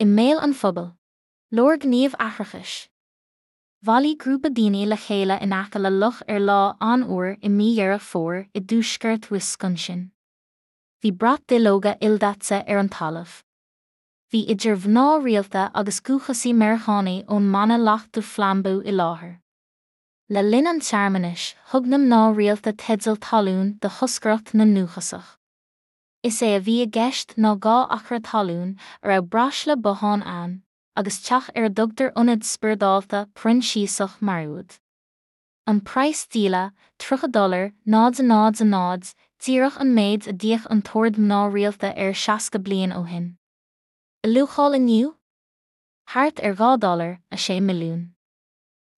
I mbéal an phobail. Leor gníomh aithreachais. Bhailigh grúpa daoine le chéile in aice le loch ar lá an-fhuar i mí Dheireadh Fómhair i dtuaisceart Wisconsin. Bhí brat duilleoga ildaite ar an talamh. Bhí idir mhná rialta agus dhúchasaigh Meiriceánaigh ón mBanna Lac du Flambeau i láthair. Le linn an tsearmanais, thug na mná rialta teideal talún do thoscaireacht na ndúchasach. Is é a bhí i gceist ná 2 acra talún, a raibh braisle bothán ann, agus teach ar a dtugtar Ionad Spioradálta Proinsiasach Maraoid. An praghas díola, 30 dollar, 0 0 0, díreach an méid a d'íoc an tOrd Mná Rialta air 60 bliain ó shin. A luacháil inniu? Thart ar 2 dollar, 6 milliún.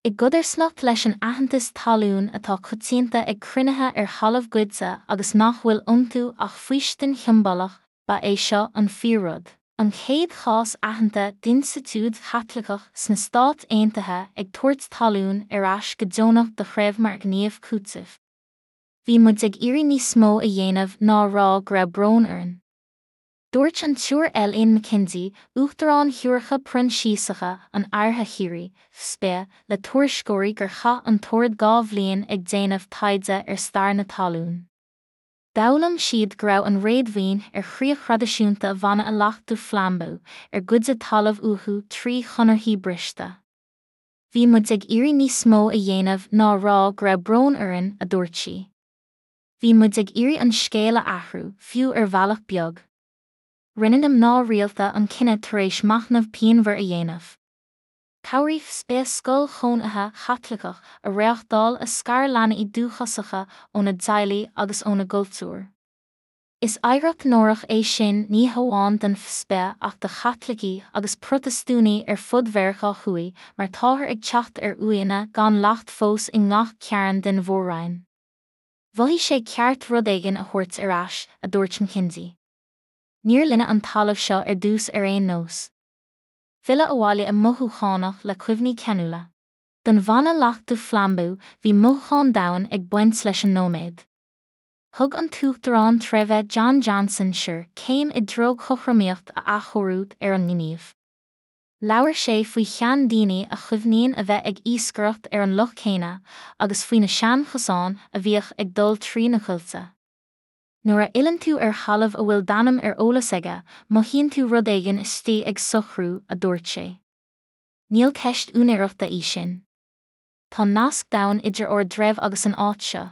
I gcodarsnacht leis an aitheantas talún atá coitianta ag cruinnithe ar thalamh goidte agus nach bhfuil iontu ach faoistin shiombalach, ba é seo an fíor-rud, an chéad chás aitheanta d'institiúid Chaitliceach sna Stáit Aontaithe ag tabhairt talún ar ais go deonach do threibh mar ghníomh cúitimh. Bhí muid ag iarraidh níos mó a dhéanamh ná a rá go raibh brón orainn. Dúirt an tSiúr Elaine McKenzie, Uachtarán Shiúracha Proinsiasacha an Oirthir Chiarraí, FSPE, le tuairisceoirí gur chaith an tOrd 2 bhliain ag déanamh taighde ar stair na talún. D'fhoghlaim siad go raibh an réadmhaoin ar chríoch thraidisiúnta Bhanna Lac du Flambeau ar goideadh talamh uathu trí chonarthaí briste. Bhí muid ag iarraidh níos mó a dhéanamh ná a rá go raibh brón orainn, a dúirt sí. Bhí muid ag iarraidh an scéal a athrú, fiú ar bhealach beag. Rinne na mná rialta an cinneadh tar éis machnamh pianmhar a dhéanamh. Chabhraigh FSPE scoil chónaithe Chaitliceach a reáchtáil a scar leanaí dúchasacha óna dteaghlaigh agus óna gcultúr. Is oidhreacht náireach é sin ní hamháin don FSPE ach do Chaitlicigh agus Protastúnaigh ar fud Mheiriceá Thuaidh mar táthar ag teacht ar uaigheanna gan leacht fós i ngach cearn den mhór-roinn. Mhothaigh sé ceart rud éigin a thabhairt ar ais, a dúirt McKenzie. Níor linne an talamh seo ar dtús ar aon nós. Filleadh abhaile mothúchánach le cuimhní ceanúla. Don bhanna Lac du Flambeau bhí mothúchán domhain ag baint leis an nóiméad. Thug an tUachtarán Treibhe John Johnson Sr. céim i dtreo cothromaíocht a athchóiriú ar an ngníomh. Labhair sé faoi sheandaoine a chuimhníonn a bheith ag iascaireacht ar an loch céanna agus faoi na seanchosáin a bhíodh ag dul trí na coillte. Nuair a fhilleann tú ar thalamh a bhfuil d'ainm ar eolas aige, mothaíonn tú rud éigin istigh ag socrú, a dúirt sé. Níl ceist úinéireachta í sin. Tá nasc domhain idir ár dtreibh agus an áit seo.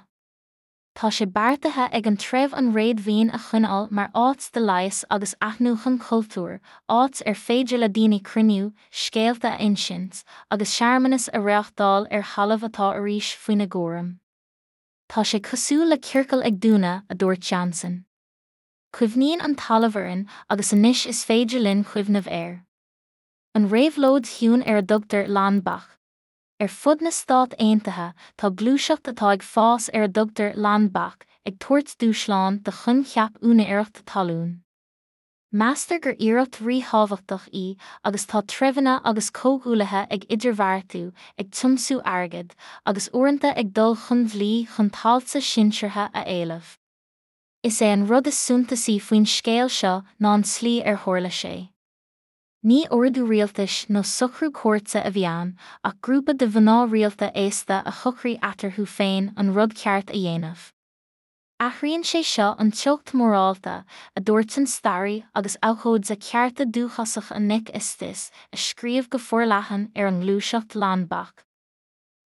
Tá sé beartaithe ag an treibh an réadmhaoin a choinneáil mar áit de leigheas agus athnuachan cultúir, áit ar féidir le daoine cruinniú, scéalta a insint, agus searmanas a reáchtáil ar thalamh atá arís faoina gcúram. Tá sé cosúil le ciorcal ag dúnadh, a dúirt Johnson. Cuimhníonn an talamh orainn agus anois is féidir linn cuimhneamh air. An réabhlóid chiúin ar a dtugtar Land Back. Ar fud na Stát Aontaithe, tá gluaiseacht atá ag fás ar a dtugtar Land Back ag tabhairt dúshláin do choincheap úinéireachta talún. Meastar gur iarracht ríthábhachtach í agus tá treibheanna agus comhghuaillithe ag idirbheartú, ag tiomsú airgid, agus uaireanta ag dul chun dlí chun tailte sinseartha a éileamh. Is é an rud is suntasaí faoin scéal seo ná an tslí ar tharla sé. Ní ordú rialtais nó socrú cúirte a bhí ann, ach grúpa de mhná rialta aosta a shocraigh eatarthu féin an rud ceart a dhéanamh. Athraíonn sé seo an teocht mhorálta, a dúirt an staraí agus abhcóide cearta dúchasacha Nick Estes, a scríobh go forleathan ar an ngluaiseacht Land Back.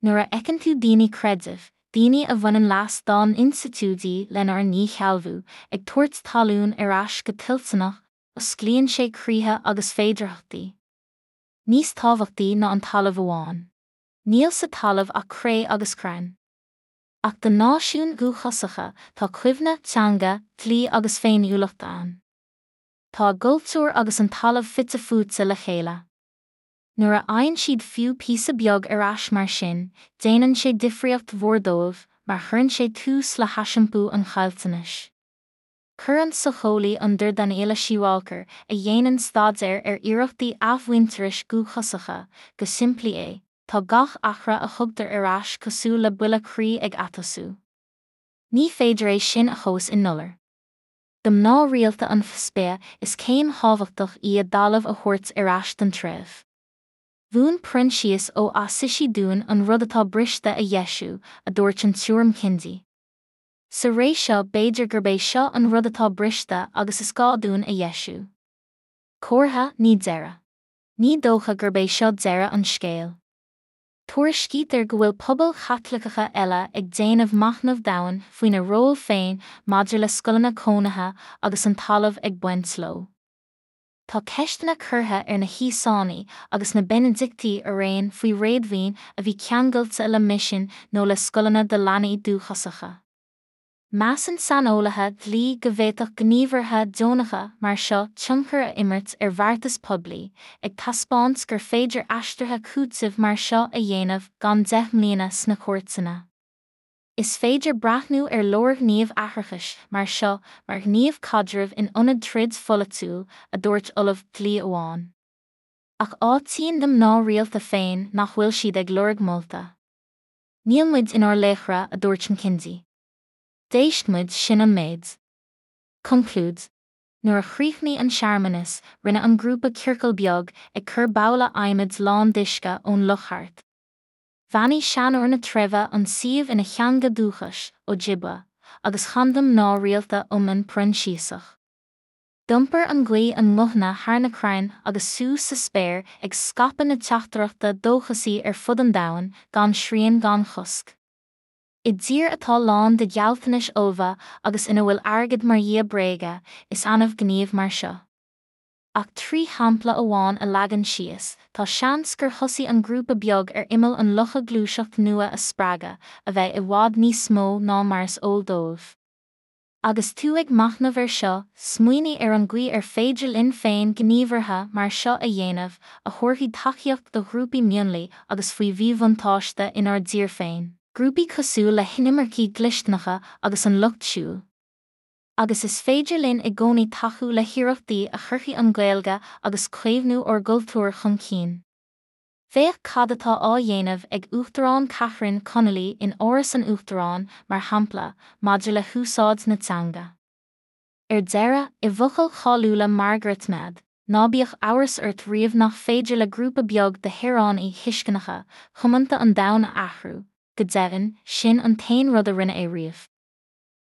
Nuair a fheiceann tú daoine creidimh, daoine a bhaineann leas dá n-institiúidí lenár ndíshealbhú, ag tabhairt talún ar ais go toilteanach, Osclaíonn sé croíthe agus féidearthachtaí. Níos tábhachtaí ná an talamh amháin. Níl sa talamh ach cré agus crainn. Ach do náisiúin dhúchasacha, tá cuimhne, teanga, dlí agus féiniúlacht ann. Tá a gcultúr agus an talamh fite fuaite le chéile. Nuair a fhaigheann siad fiú píosa beag ar ais mar sin, déanann sé difríocht mhór dóibh mar chuireann sé tús le haisiompú an chaillteanais. Chuir an socheolaí an Dr Daniela Shiwalkar, a dhéanann staidéar ar iarrachtaí athmhuintearais dhúchasacha, go simplí é, tá gach acra a thugtar ar ais cosúil le buille croí ag atosú. Ní féidir é sin a thomhas i ndollar. Do mná rialta an FSB, is céim thábhachtach í a dtalamh a thabhairt ar ais don treibh. Mhúin Proinsias ó Assisi dúinn an rud atá briste a dheisiú, a dúirt an tSiúr Mkindi. Sa ré seo b'fhéidir gurb é seo an rud atá briste agus is gá dúinn a dheisiú. Comhartha, ní deireadh. Ní dócha gurb é seo deireadh an scéil. Tuairiscítear go bhfuil pobail Chaitliceacha eile ag déanamh machnamh domhain faoina ról féin maidir le scoileanna cónaithe agus an talamh ag baint leo. Tá ceisteanna curtha ar na hÍosánaigh agus na Beinidictigh araon faoi réadmhaoin a bhí ceangailte le misin nó le scoileanna do leanaí dúchasacha. Measann saineolaithe dlí go bhféadfadh gníomhartha deonacha mar seo tionchar a imirt ar bheartas poiblí, ag taispeáint gur féidir aistrithe cúitimh mar seo a dhéanamh gan 10 mbliana sna cúirteanna. Is féidir breathnú ar leorghníomh aithreachais mar seo mar ghníomh caidrimh in ionad troid pholaitiúil, a dúirt ollamh dlí amháin. Ach áitíonn na mná rialta féin nach bhfuil siad ag lorg molta. Níl muid inár laochra, a dúirt Mkindi. D'éist muid, sin an méid. Conclúid. Nuair a chríochnaigh an searmanas, rinne an grúpa ciorcal beag, ag cur babhla adhmaid lán d'uisce ón loch thart. Bheannaigh seanóir na treibhe an suíomh ina theanga dúchais, Ojibwa, agus chan na mná rialta iomann Proinsiasach. D'iompair an ghaoth a nguthanna thar na crainn agus suas sa spéir ag scaipeadh na teachtaireachta dóchasaí ar fud an domhain, gan srian gan chosc. I dtír atá lán de ghealltanais fholmha agus ina bhfuil airgead mar dhia bréige, is annamh gníomh mar seo. Ach trí shampla amháin a leagan síos, tá seans gur thosaigh an grúpa beag ar imeall an locha gluaiseacht nua a spreagadh, a bheidh i bhfad níos mó ná mar is eol dóibh. Agus tú ag machnamh air seo, smaoinigh ar an gcaoi ar féidir linn féin gníomhartha mar seo a dhéanamh, a thabharfaidh tacaíocht do ghrúpaí mionlaigh agus faoi mhíbhuntáiste inár dtír féin, grúpaí cosúil le hinimircigh dhlisteanacha agus an Lucht Siúil. Agus is féidir linn i gcónaí tacú le hiarrachtaí a chuirfidh an Ghaeilge agus caomhnú ár gcultúir chun cinn. Féach cad atá á dhéanamh ag Uachtarán Catherine Connolly in Áras an Uachtaráin, mar shampla, maidir le húsáid na teanga. Ar deireadh, i bhfocail cháiliúla Margaret Mead, ná bíodh amhras ort riamh nach féidir le grúpa beag de shaoránaigh thuisceanacha, thiomanta an domhan a athrú, go deimhin, sin an t-aon rud a rinne é riamh.